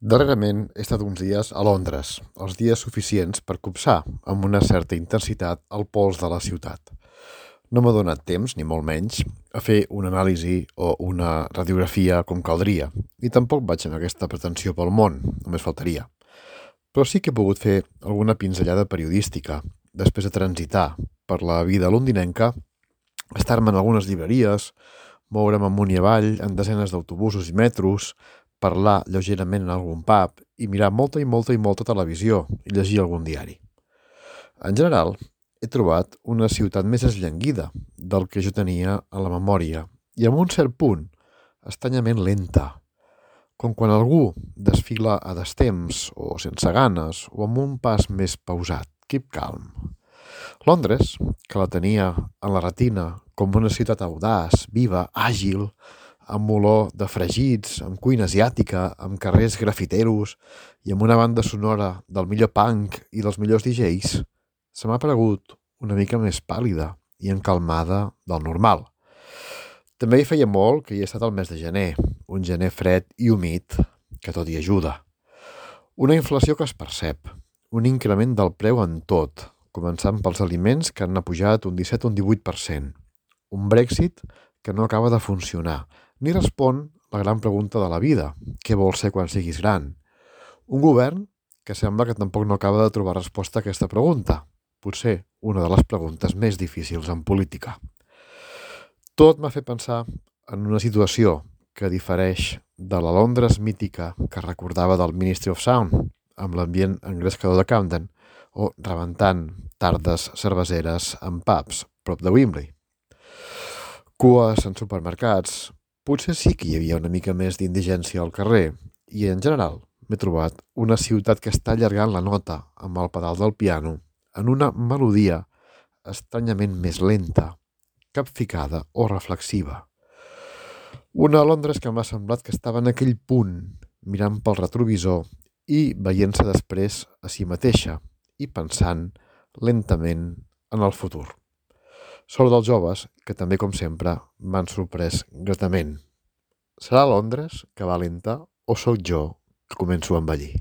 Darrerament he estat uns dies a Londres, els dies suficients per copsar amb una certa intensitat el pols de la ciutat. No m'ha donat temps, ni molt menys, a fer una anàlisi o una radiografia com caldria, i tampoc vaig amb aquesta pretensió pel món, només faltaria. Però sí que he pogut fer alguna pinzellada periodística, després de transitar per la vida londinenca, estar-me en algunes llibreries, moure'm amunt i avall en desenes d'autobusos i metros, parlar lleugerament en algun pub i mirar molta televisió i llegir algun diari. En general, he trobat una ciutat més esllanguida del que jo tenia a la memòria i amb un cert punt, estranyament lenta, com quan algú desfila a destemps o sense ganes o amb un pas més pausat, keep calm. Londres, que la tenia en la retina com una ciutat audaç, viva, àgil, amb olor de fregits, amb cuina asiàtica, amb carrers grafiteros i amb una banda sonora del millor punk i dels millors DJs, se m'ha paregut una mica més pàl·lida i encalmada del normal. També hi feia molt que hi he estat al mes de gener, un gener fred i humit, que tot hi ajuda. Una inflació que es percep, un increment del preu en tot, començant pels aliments que han pujat un 17 o un 18%, un Brexit que no acaba de funcionar, ni respon la gran pregunta de la vida, què vols ser quan siguis gran? Un govern que sembla que tampoc no acaba de trobar resposta a aquesta pregunta, potser una de les preguntes més difícils en política. Tot m'ha fet pensar en una situació que difereix de la Londres mítica que recordava del Ministry of Sound, amb l'ambient engrescador de Camden, o rebentant tardes cerveseres en pubs prop de Wembley. Cues en supermercats, potser sí que hi havia una mica més d'indigència al carrer i, en general, m'he trobat una ciutat que està allargant la nota amb el pedal del piano en una melodia estranyament més lenta, capficada o reflexiva. Una Londres que m'ha semblat que estava en aquell punt, mirant pel retrovisor i veient-se després a si mateixa i pensant lentament en el futur. Sort dels joves, que també, com sempre, m'han sorprès gratament. Serà Londres que va lenta o sóc jo que començo a envellir?